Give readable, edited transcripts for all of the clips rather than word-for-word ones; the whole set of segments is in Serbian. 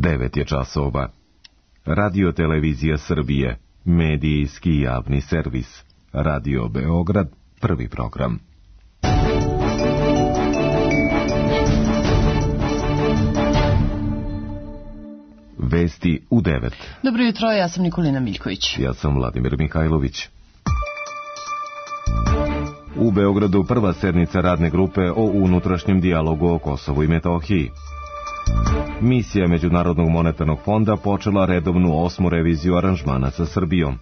9 je časova. Radio Televizija Srbije, medijski javni servis. Radio Beograd, prvi program. Vesti u 9. Dobro jutro, ja sam Nikolina Miljković. Ja sam Vladimir Mihajlović. U Beogradu prva sednica radne grupe o unutrašnjem dijalogu o Kosovu i Metohiji. Misija Međunarodnog monetarnog fonda počela redovnu 8. reviziju aranžmana sa Srbijom.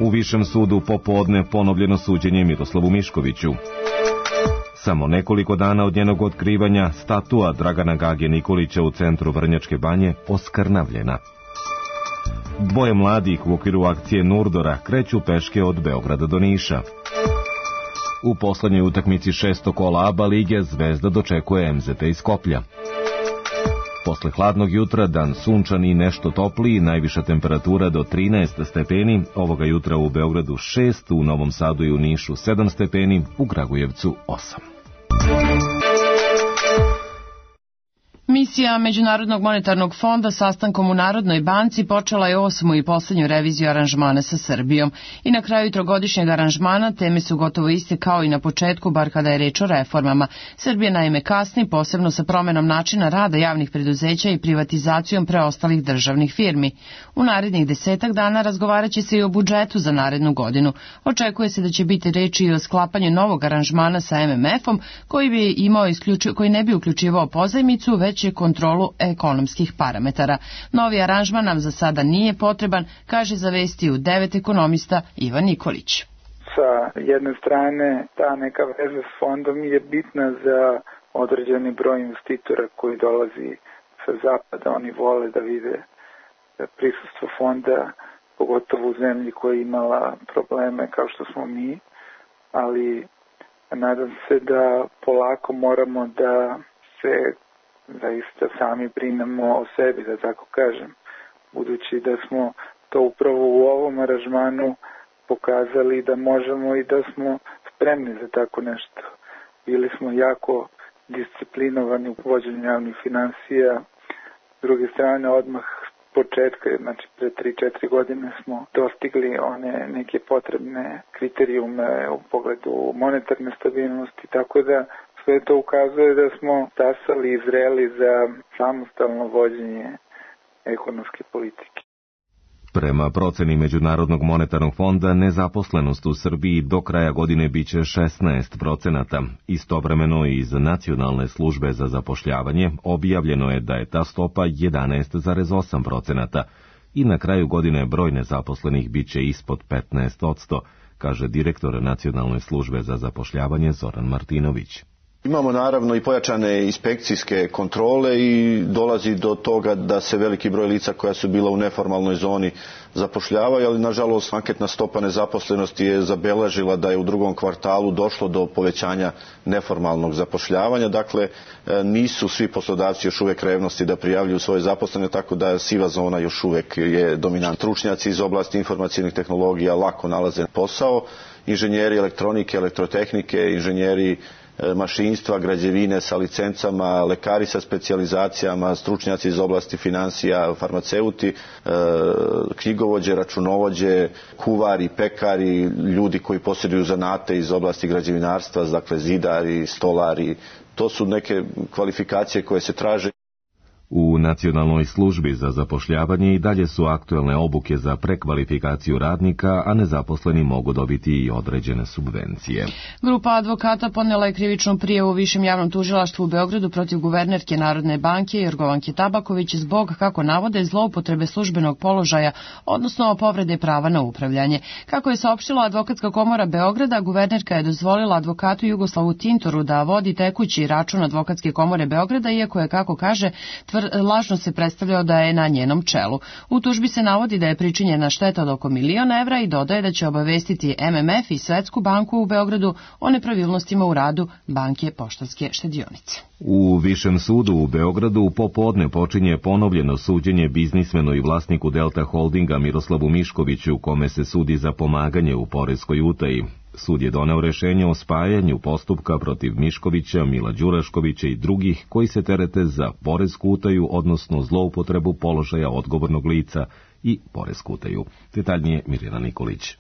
U Višem sudu popodne ponovljeno suđenje Miroslavu Miškoviću. Samo nekoliko dana od njenog otkrivanja statua Dragana Gage Nikolića u centru Vrnjačke Banje oskrnavljena. Dvoje mladih u okviru akcije Nurdora kreću peške od Beograda do Niša. U poslednjoj utakmici 6. kola ABA lige Zvezda dočekuje MZT iz Skoplja. Posle hladnog jutra dan sunčan i nešto topliji, najviša temperatura do 13 stepeni, ovoga jutra u Beogradu 6, u Novom Sadu i u Nišu 7 stepeni, u Kragujevcu 8. Misija Međunarodnog monetarnog fonda sastankom u Narodnoj banci počela je 8. i poslednju reviziju aranžmana sa Srbijom. I na kraju trogodišnjeg aranžmana teme su gotovo iste kao i na početku, bar kada je reč o reformama. Srbija naime kasni, posebno sa promenom načina rada javnih preduzeća i privatizacijom preostalih državnih firmi. U narednih 10 dana razgovaraće se i o budžetu za narednu godinu. Očekuje se da će biti reči i o sklapanju novog aranžmana sa MMF-om koji ne bi uključivao pozajmicu, već je kontrolu ekonomskih parametara. Novi aranžman nam za sada nije potreban, kaže za Vesti u 9 ekonomista Ivan Nikolić. Sa jedne strane, ta neka veza s fondom je bitna za određeni broj investitora koji dolazi sa zapada. Oni vole da vide prisustvo fonda, pogotovo u zemlji koja je imala probleme kao što smo mi, ali nadam se da polako moramo da se zaista sami brinemo o sebi, da tako kažem, budući da smo to upravo u ovom aranžmanu pokazali da možemo i da smo spremni za tako nešto. Bili smo jako disciplinovani u vođenju javnih finansija, s druge strane odmah početka, znači pre 3-4 godine smo dostigli one neke potrebne kriterijume u pogledu monetarne stabilnosti, tako da sve to ukazuje da smo stasali i zreli za samostalno vođenje ekonomske politike. Prema proceni Međunarodnog monetarnog fonda, nezaposlenost u Srbiji do kraja godine biće 16%. Istovremeno iz Nacionalne službe za zapošljavanje objavljeno je da je ta stopa 11,8% i na kraju godine broj nezaposlenih biće ispod 15%, kaže direktor Nacionalne službe za zapošljavanje Zoran Martinović. Imamo naravno i pojačane inspekcijske kontrole i dolazi do toga da se veliki broj lica koja su bila u neformalnoj zoni zapošljavaju, ali nažalost anketna stopa nezaposlenosti je zabeležila da je u drugom kvartalu došlo do povećanja neformalnog zapošljavanja. Dakle, nisu svi poslodavci još uvek revnosti da prijavljuju svoje zaposlene, tako da siva zona još uvek je dominantna. Stručnjaci iz oblasti informacionih tehnologija lako nalaze posao, inženjeri elektronike, elektrotehnike, inženjeri mašinstva, građevine sa licencama, lekari sa specijalizacijama, stručnjaci iz oblasti finansija, farmaceuti, knjigovođe, računovođe, kuvari, pekari, ljudi koji posjeduju zanate iz oblasti građevinarstva, dakle zidari, stolari. To su neke kvalifikacije koje se traže. U Nacionalnoj službi za zapošljavanje i dalje su aktuelne obuke za prekvalifikaciju radnika, a nezaposleni mogu dobiti i određene subvencije. Grupa advokata podnela je krivičnu prijavu u Višem javnom tužilaštvu u Beogradu protiv guvernerke Narodne banke Jorgovanke Tabaković zbog, kako navode, zloupotrebe službenog položaja, odnosno povrede prava na upravljanje. Kako je saopštila Advokatska komora Beograda, guvernerka je dozvolila advokatu Jugoslavu Tintoru da vodi tekući račun Advokatske komore Beograda, iako je, kako kaže, lažno se predstavljao da je na njenom čelu. U tužbi se navodi da je pričinjena šteta od oko 1.000.000 evra i dodaje da će obavestiti MMF i Svetsku banku u Beogradu o nepravilnostima u radu banke Poštanske štedionice. U Višem sudu u Beogradu popodne počinje ponovljeno suđenje biznismenu i vlasniku Delta Holdinga Miroslavu Miškoviću, kome se sudi za pomaganje u poreskoj utaji. Sud je doneo rešenje o spajanju postupka protiv Miškovića, Mila Đuraškovića i drugih koji se terete za poresku utaju, odnosno zloupotrebu položaja odgovornog lica i poresku utaju. Detaljnije Mirjana Nikolić.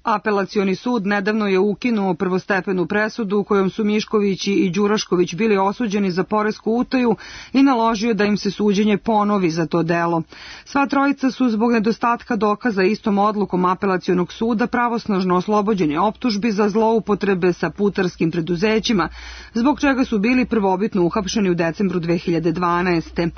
Apelacioni sud nedavno je ukinuo prvostepenu presudu kojom su Mišković i Đurašković bili osuđeni za poresku utaju i naložio da im se suđenje ponovi za to delo. Sva trojica su zbog nedostatka dokaza istom odlukom apelacionog suda pravosnažno oslobođeni optužbi za zloupotrebe sa putarskim preduzećima, zbog čega su bili prvobitno uhapšeni u decembru 2012.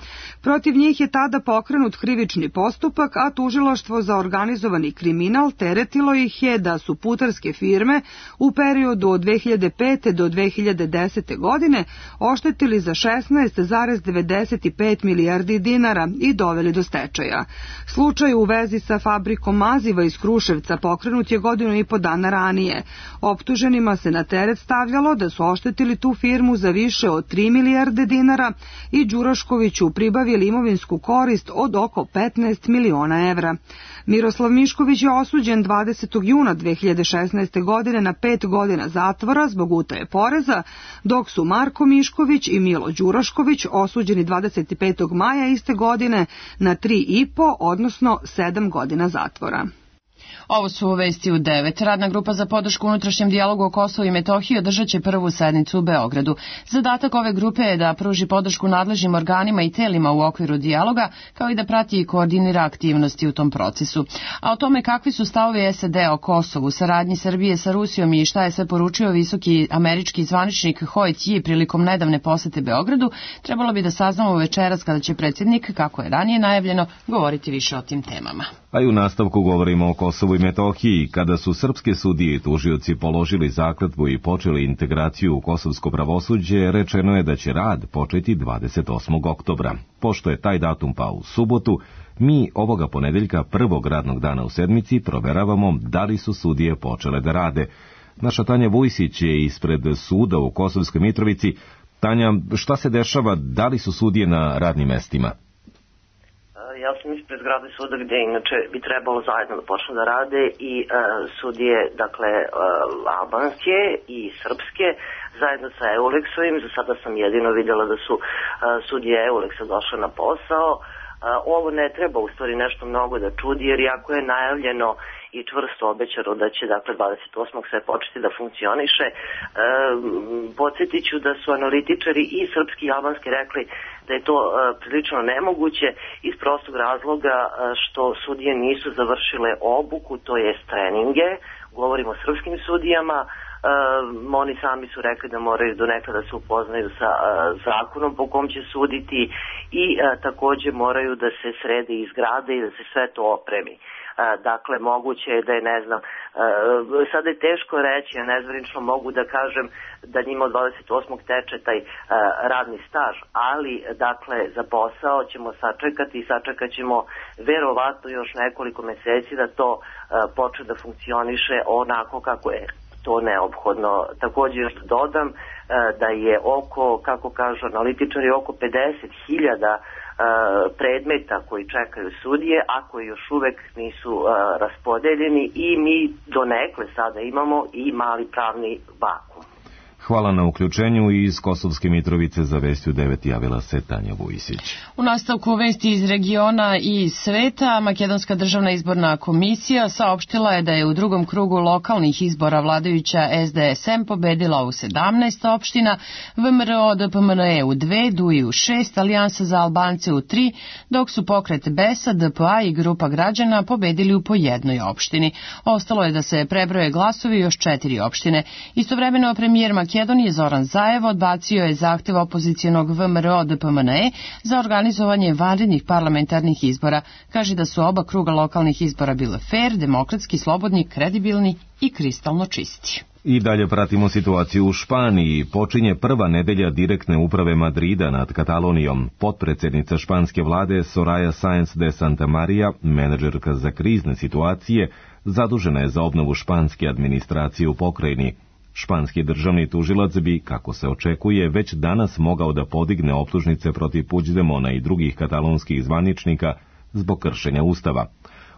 Protiv njih je tada pokrenut krivični postupak, a tužilaštvo za organizovani kriminal teretilo ih je da su putarske firme u periodu od 2005. do 2010. godine oštetili za 16,95 milijardi dinara i doveli do stečaja. Slučaj u vezi sa fabrikom maziva iz Kruševca pokrenut je 1,5 godina ranije. Optuženima se na teret stavljalo da su oštetili tu firmu za više od 3 milijarde dinara i Đuraškoviću pribavili imovinsku korist od oko 15 miliona evra. Miroslav Mišković je osuđen 20. juna 2016. godine na 5 godina zatvora zbog utaje poreza, dok su Marko Mišković i Milo Đurašković osuđeni 25. maja iste godine na 3,5, odnosno 7 godina zatvora. Ovo su vesti u 9. Radna grupa za podršku unutrašnjem dijalogu o Kosovu i Metohiji održat će prvu sednicu u Beogradu. Zadatak ove grupe je da pruži podršku nadležnim organima i telima u okviru dijaloga, kao i da prati i koordinira aktivnosti u tom procesu. A o tome kakvi su stavovi SAD o Kosovu, saradnji Srbije sa Rusijom i šta je sve poručio visoki američki zvaničnik Ho Ji prilikom nedavne posete Beogradu, trebalo bi da saznamo večeras kada će predsjednik, kako je ranije najavljeno, govoriti više o tim temama. A i u nastavku govorimo o Kosovu i Metohiji. Kada su srpske sudije i tužioci položili zakletvu i počeli integraciju u kosovsko pravosuđe, rečeno je da će rad početi 28. oktobra. Pošto je taj datum pao u subotu, mi ovoga ponedeljka, prvog radnog dana u sedmici, proveravamo da li su sudije počele da rade. Naša Tanja Vujsić je ispred suda u Kosovskoj Mitrovici. Tanja, šta se dešava, da li su sudije na radnim mestima? Ja sam ispred zgrade suda gde inače bi trebalo zajedno da počnu da rade i sudije, dakle, albanske i srpske, zajedno sa Eulexovim. Za sada sam jedino vidjela da su sudije Eulexa došle na posao. Ovo ne treba u stvari nešto mnogo da čudi, jer jako je najavljeno i čvrsto obećano da će, dakle, 28. sve početi da funkcioniše. Podsjetit ću da su analitičari i srpski i albanski rekli da je to prilično nemoguće iz prostog razloga što sudije nisu završile obuku, to jest treninge. Govorimo o srpskim sudijama. Oni sami su rekli da moraju do nekada da se upoznaju sa zakonom po kom će suditi i takođe moraju da se srede i zgrade i da se sve to opremi. Dakle, moguće je da je, ne znam, sada je teško reći, ja nezvanično mogu da kažem da njima od 28. teče taj radni staž, ali, dakle, za posao ćemo sačekati i sačekat ćemo verovatno još nekoliko meseci da to počne da funkcioniše onako kako je to neophodno. Također još dodam da je oko, kako kažu analitičari, oko 50.000 predmeta koji čekaju sudije, a koji još uvek nisu raspodeljeni i mi donekle sada imamo i mali pravni vakum. Hvala na uključenju. Iz Kosovske Mitrovice za Vesti u 9 javila se Tanja Vujsić. U nastavku vesti iz regiona i sveta, Makedonska državna izborna komisija saopštila je da je u drugom krugu lokalnih izbora vladajuća SDSM pobedila u 17 opština, VMRO DPMNE u 2, DUI u 6, Alijansa za Albance u 3, dok su pokret BESA, DPA i grupa građana pobedili u po jednoj opštini. Ostalo je da se prebroje glasovi još 4 opštine. Istovremeno premijer Makedonije Zoran Zaev odbacio je zahtev opozicijonog VMRO DPMNE za organizovanje vanrednih parlamentarnih izbora. Kaže da su oba kruga lokalnih izbora bile fair, demokratski, slobodni, kredibilni i kristalno čisti. I dalje pratimo situaciju u Španiji. Počinje prva nedelja direktne uprave Madrida nad Katalonijom. Potpredsjednica španske vlade Soraya Sáenz de Santamaría, menadžerka za krizne situacije, zadužena je za obnovu španske administracije u pokrajini. Španski državni tužilac bi, kako se očekuje, već danas mogao da podigne optužnice protiv Puigdemona i drugih katalonskih zvaničnika zbog kršenja ustava.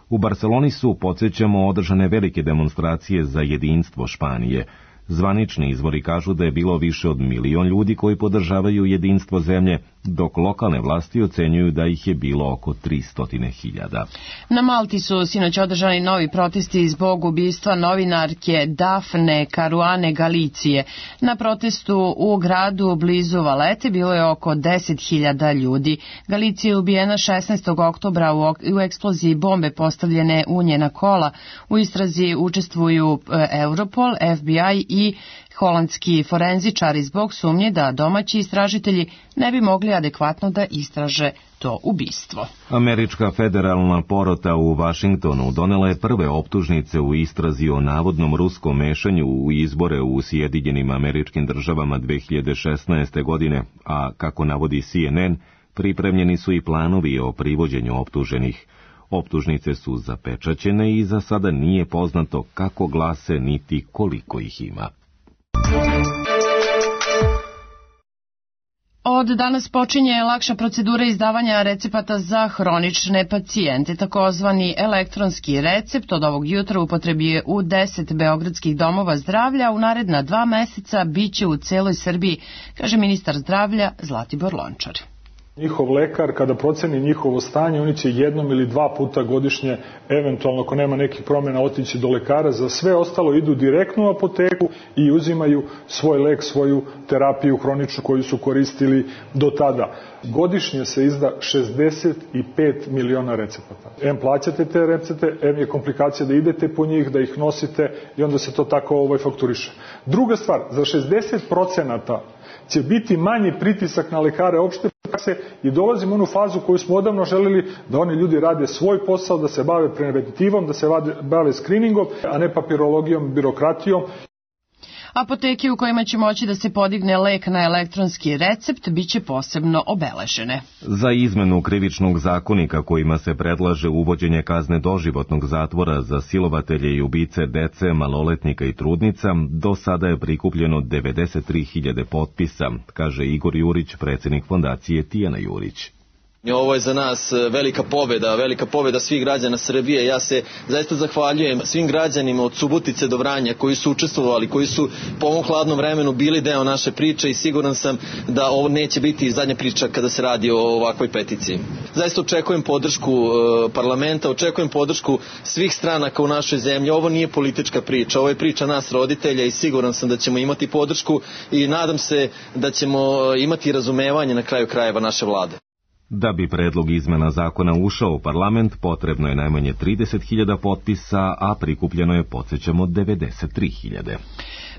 U Barceloni su, podsjećamo, održane velike demonstracije za jedinstvo Španije. Zvanični izvori kažu da je bilo više od 1 milion ljudi koji podržavaju jedinstvo zemlje, dok lokalne vlasti ocenjuju da ih je bilo oko 300.000. Na Malti su sinoć održani novi protesti zbog ubistva novinarke Dafne Caruane Galicije. Na protestu u gradu blizu Valete bilo je oko 10.000 ljudi. Galicija je ubijena 16. oktobra u eksploziji bombe postavljene u njena kola. U istrazi učestvuju Europol, FBI i holandski forenzičari zbog sumnje da domaći istražitelji ne bi mogli adekvatno da istraže to ubistvo. Američka federalna porota u Vašingtonu donela je prve optužnice u istrazi o navodnom ruskom mešanju u izbore u Sjedinjenim Američkim Državama 2016. godine, a kako navodi CNN, pripremljeni su i planovi o privođenju optuženih. Optužnice su zapečaćene i za sada nije poznato kako glase niti koliko ih ima. Od danas počinje lakša procedura izdavanja recepata za hronične pacijente. Takozvani elektronski recept od ovog jutra upotrebljuje u 10 beogradskih domova zdravlja. U naredna 2 meseca biće u celoj Srbiji, kaže ministar zdravlja Zlatibor Lončar. Njihov lekar, kada proceni njihovo stanje, oni će 1 ili 2 puta godišnje, eventualno ako nema nekih promjena, otići do lekara. Za sve ostalo idu direktno u apoteku i uzimaju svoj lek, svoju terapiju hroničnu koju su koristili do tada. Godišnje se izda 65 miliona recepata. Em plaćate te recepte, em je komplikacija da idete po njih, da ih nosite i onda se to tako fakturiše. Druga stvar, za 60% će biti manji pritisak na lekare opšte prakse i dolazimo u onu fazu koju smo odavno želeli, da oni ljudi rade svoj posao, da se bave preventivom, da se bave screeningom, a ne papirologijom, birokratijom. Apoteke u kojima će moći da se podigne lek na elektronski recept biće posebno obeležene. Za izmenu krivičnog zakonika kojima se predlaže uvođenje kazne doživotnog zatvora za silovatelje i ubice dece, maloletnika i trudnica, do sada je prikupljeno 93.000 potpisa, kaže Igor Jurić, predsjednik fondacije Tijana Jurić. Ovo je za nas velika pobjeda svih građana Srbije. Ja se zaista zahvaljujem svim građanima od Subotice do Vranja koji su učestvovali, koji su po ovom hladnom vremenu bili deo naše priče i siguran sam da ovo neće biti zadnja priča kada se radi o ovakvoj peticiji. Zaista očekujem podršku parlamenta, očekujem podršku svih stranaka u našoj zemlji. Ovo nije politička priča, ovo je priča nas roditelja i siguran sam da ćemo imati podršku i nadam se da ćemo imati razumevanje na kraju krajeva naše vlade. Da bi predlog izmena zakona ušao u parlament, potrebno je najmanje 30.000 potpisa, a prikupljeno je, podsjećamo, 93.000.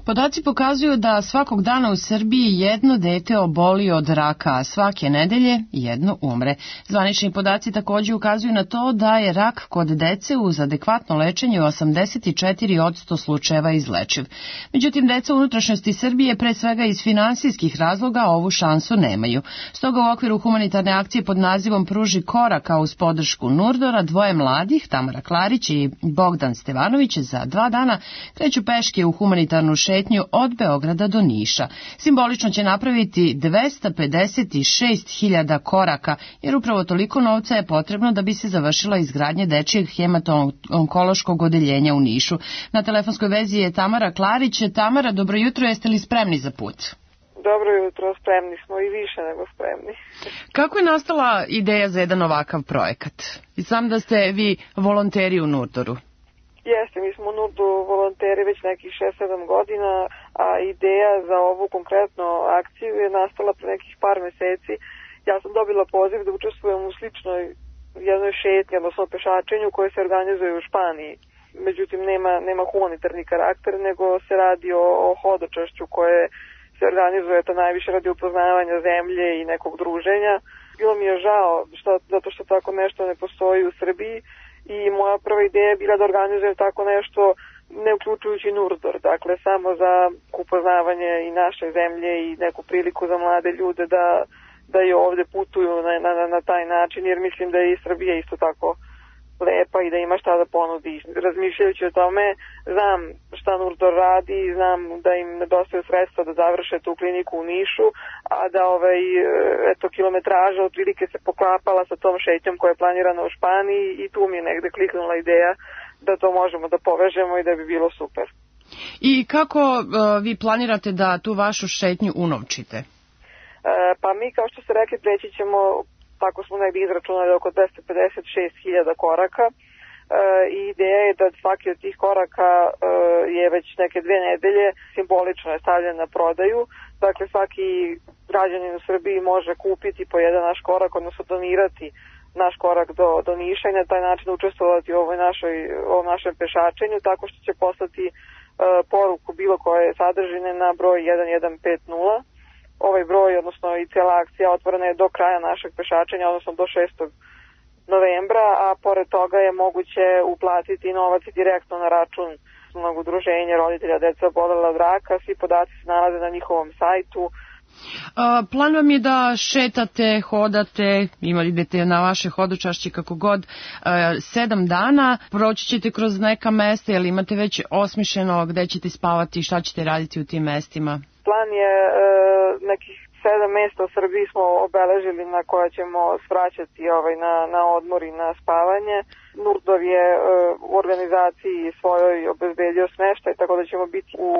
Podaci pokazuju da svakog dana u Srbiji jedno dete oboli od raka, a svake nedelje jedno umre. Zvanični podaci također ukazuju na to da je rak kod dece uz adekvatno lečenje u 84% slučajeva izlečiv. Međutim, deca u unutrašnjosti Srbije, pre svega iz finansijskih razloga, ovu šansu nemaju. Stoga u okviru humanitarne akcije pod nazivom Pruži koraka uz podršku Nurdora, 2 mladih, Tamara Klarić i Bogdan Stevanović, za 2 dana kreću peške u humanitarnu šetnju od Beograda do Niša. Simbolično će napraviti 256.000 koraka, jer upravo toliko novca je potrebno da bi se završila izgradnja dečijeg hemato-onkološkog odeljenja u Nišu. Na telefonskoj vezi je Tamara Klarić. Tamara, dobro jutro, jeste li spremni za put? Dobro jutro, spremni smo i više nego spremni. Kako je nastala ideja za jedan ovakav projekat? I sam da ste vi volonteri u Nurdoru. Jeste, mi smo u Nurdu volonteri već nekih 6-7 godina, a ideja za ovu konkretnu akciju je nastala pre nekih par meseci. Ja sam dobila poziv da učestvujem u sličnoj jednoj šetnji, odnosno pešačenju koje se organizuje u Španiji. Međutim, nema humanitarni karakter, nego se radi o hodočašću koje se organizuje to najviše radi upoznavanja zemlje i nekog druženja. Bilo mi je žao zato što tako nešto ne postoji u Srbiji. I moja prva ideja je bila da organizujem tako nešto ne uključujući Nurdor, dakle samo za upoznavanje i naše zemlje i neku priliku za mlade ljude da i ovde putuju na taj način, jer mislim da je i Srbija isto tako lepa i da ima šta da ponudi. Razmišljajući o tome, znam šta Nurdor radi, znam da im nedostaju sredstva da završe tu kliniku u Nišu, a da kilometraža otprilike se poklapala sa tom šetnjom koja je planirana u Španiji i tu mi je negde kliknula ideja da to možemo da povežemo i da bi bilo super. I kako vi planirate da tu vašu šetnju unovčite? Pa mi, kao što ste rekli, preći ćemo, tako smo negdje izračunali, oko 256.000 koraka i ideja je da svaki od tih koraka je već neke 2 nedelje simbolično je stavljen na prodaju. Dakle, svaki građanin u Srbiji može kupiti po jedan naš korak, odnosno donirati naš korak do Niša i na taj način učestvovati u ovom našem pešačenju, tako što će poslati poruku bilo koje sadržine na broj 1150. Ovaj broj, odnosno i cijela akcija otvorena je do kraja našeg pešačenja, odnosno do 6. novembra, a pored toga je moguće uplatiti novac direktno na račun udruženja roditelja dece obolela od raka. Svi podaci se nalaze na njihovom sajtu. Plan vam je da šetate, hodate, idete na vaše hodočašće kako god, 7 dana, proći ćete kroz neka mesta, ili imate već osmišljeno gde ćete spavati i šta ćete raditi u tim mestima? Plan je nekih 7 mesta u Srbiji smo obeležili na koja ćemo svraćati na odmor i na spavanje. Nurdor je u organizaciji svojoj obezbedio smeštaj, tako da ćemo biti u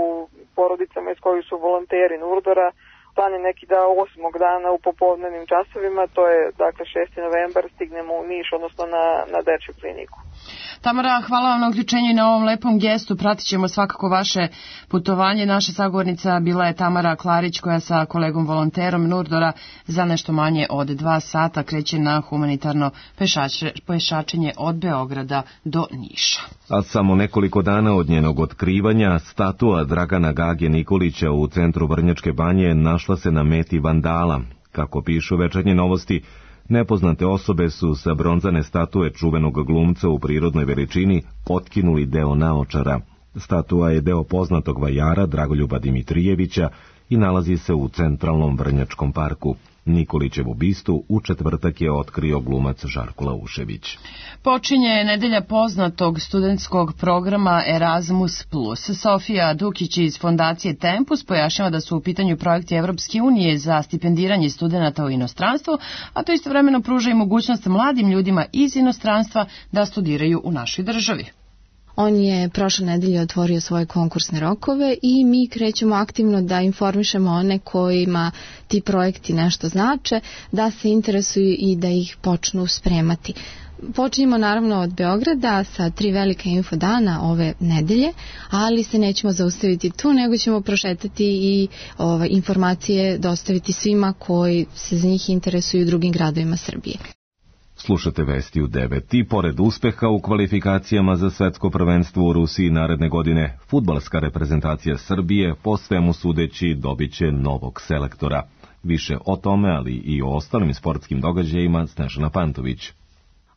porodicama iz kojih su volonteri Nurdora. Plan je neki da 8. dana u popodnevnim časovima, to je dakle 6. novembar, stignemo u Niš, odnosno na dečju kliniku. Tamara, hvala vam na uključenju i na ovom lepom gestu. Pratit ćemo svakako vaše putovanje. Naša sagovornica bila je Tamara Klarić, koja sa kolegom volonterom Nurdora za nešto manje od 2 sata kreće na humanitarno pešačenje od Beograda do Niša. A samo nekoliko dana od njenog otkrivanja, statua Dragana Gage Nikolića u centru Vrnjačke Banje našla se na meti vandala. Kako pišu Večernje novosti, nepoznate osobe su sa bronzane statue čuvenog glumca u prirodnoj veličini otkinuli deo naočara. Statua je deo poznatog vajara Dragoljuba Dimitrijevića i nalazi se u centralnom Vrnjačkom parku. Nikolićevu bistu u četvrtak je otkrio glumac Žarko Laušević. Počinje nedelja poznatog studentskog programa Erasmus+. Sofija Dukić iz fondacije Tempus pojašnjava da su u pitanju projekti Evropske unije za stipendiranje studenata u inostranstvu, a to istovremeno pruža i mogućnost mladim ljudima iz inostranstva da studiraju u našoj državi. On je prošle nedelje otvorio svoje konkursne rokove i mi krećemo aktivno da informišemo one kojima ti projekti nešto znače, da se interesuju i da ih počnu spremati. Počinjemo naravno od Beograda sa 3 velika infodana ove nedelje, ali se nećemo zaustaviti tu, nego ćemo prošetati i informacije dostaviti svima koji se za njih interesuju u drugim gradovima Srbije. Slušate vesti u 9. I pored uspeha u kvalifikacijama za svetsko prvenstvo u Rusiji naredne godine, fudbalska reprezentacija Srbije, po svemu sudeći, dobiće novog selektora. Više o tome, ali i o ostalim sportskim događajima, Snežana Pantović.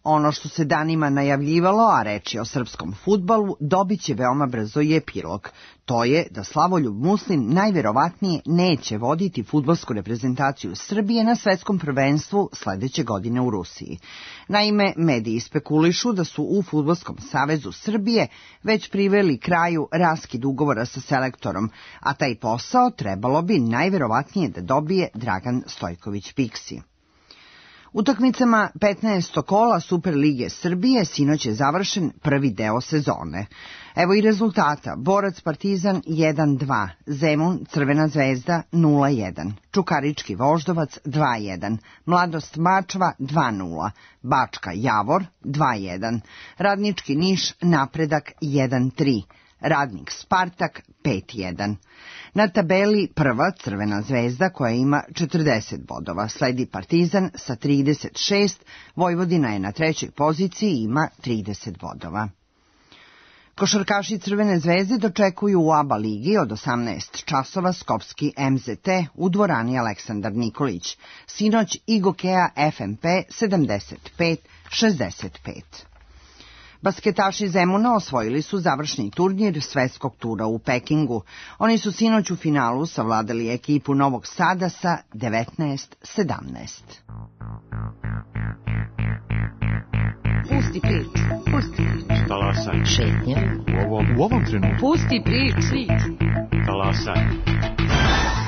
Ono što se danima najavljivalo, a reč je o srpskom fudbalu, dobit će veoma brzo i epilog. To je da Slavoljub Muslin najverovatnije neće voditi fudbalsku reprezentaciju Srbije na svetskom prvenstvu sledeće godine u Rusiji. Naime, mediji spekulišu da su u Fudbalskom savezu Srbije već priveli kraju raskid ugovora sa selektorom, a taj posao trebalo bi najverovatnije da dobije Dragan Stojković Piksi. Utakmicama 15. kola Superlige Srbije sinoć je završen prvi deo sezone. Evo i rezultata. Borac Partizan 1-2, Zemun Crvena zvezda 0-1, Čukarički Voždovac 2-1, Mladost Mačva 2-0, Bačka Javor 2-1, Radnički Niš Napredak 1-3, Radnik Spartak 5-1. Na tabeli prva Crvena zvezda koja ima 40 bodova, sledi Partizan sa 36, Vojvodina je na 3. poziciji i ima 30 bodova. Košarkaši Crvene zvezde dočekuju u ABA ligi od 18 časova skopski MZT u dvorani Aleksandar Nikolić. Sinoć i Gokeja FNP 75-65. Basketaši Zemuna osvojili su završni turnir svetskog tura u Pekingu. Oni su sinoć u finalu savladali ekipu Novog Sada sa 19-17. Pusti priču. Talasaj. Šetnja. U ovom trenutku. Pusti priču. Talasaj.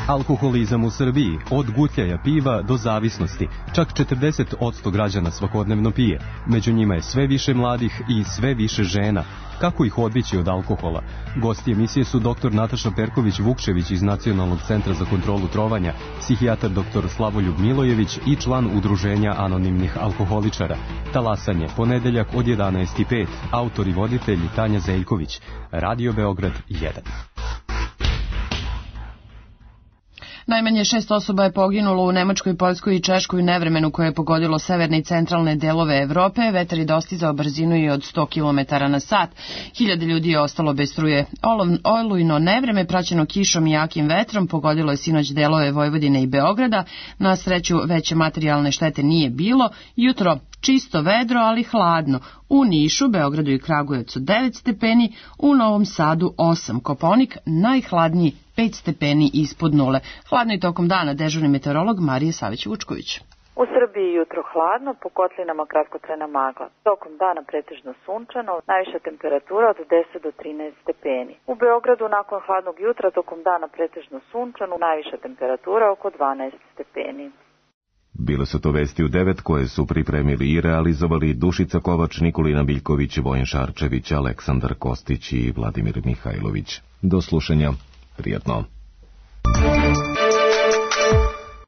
Alkoholizam u Srbiji, od gutljaja piva do zavisnosti. Čak 40% građana svakodnevno pije. Među njima je sve više mladih i sve više žena. Kako ih odbići od alkohola? Gosti emisije su dr. Nataša Perković-Vukčević iz Nacionalnog centra za kontrolu trovanja, psihijatar dr. Slavoljub Milojević i član Udruženja anonimnih alkoholičara. Talasanje, ponedeljak od 11:05. Autor i voditelj Tanja Zeljković. Radio Beograd 1. Najmanje 6 osoba je poginulo u Nemačkoj, Poljskoj i Češkoj u nevremenu koje je pogodilo severne i centralne delove Evrope. Vetar je dostizao brzinu i od 100 km na sat. Hiljade ljudi je ostalo bez struje. Olujno nevreme, praćeno kišom i jakim vetrom, pogodilo je sinoć delove Vojvodine i Beograda. Na sreću veće materijalne štete nije bilo. Jutro čisto vedro, ali hladno. U Nišu, Beogradu i Kragujevcu 9 stepeni, u Novom Sadu 8. Kopaonik najhladniji 5 stepeni ispod nule. Hladno i tokom dana, dežurni meteorolog Marija Savić-Vučković. U Srbiji jutro hladno, po kotlinama kratkotrajna magla. Tokom dana pretežno sunčano, najviša temperatura od 10 do 13 stepeni. U Beogradu nakon hladnog jutra, tokom dana pretežno sunčano, najviša temperatura oko 12 stepeni. Bile su to vesti u 9 koje su pripremili i realizovali Dušica Kovač, Nikolina Biljković, Vojin Šarčević, Aleksandar Kostić i Vladimir Mihajlović. Do slušanja. Prijatno.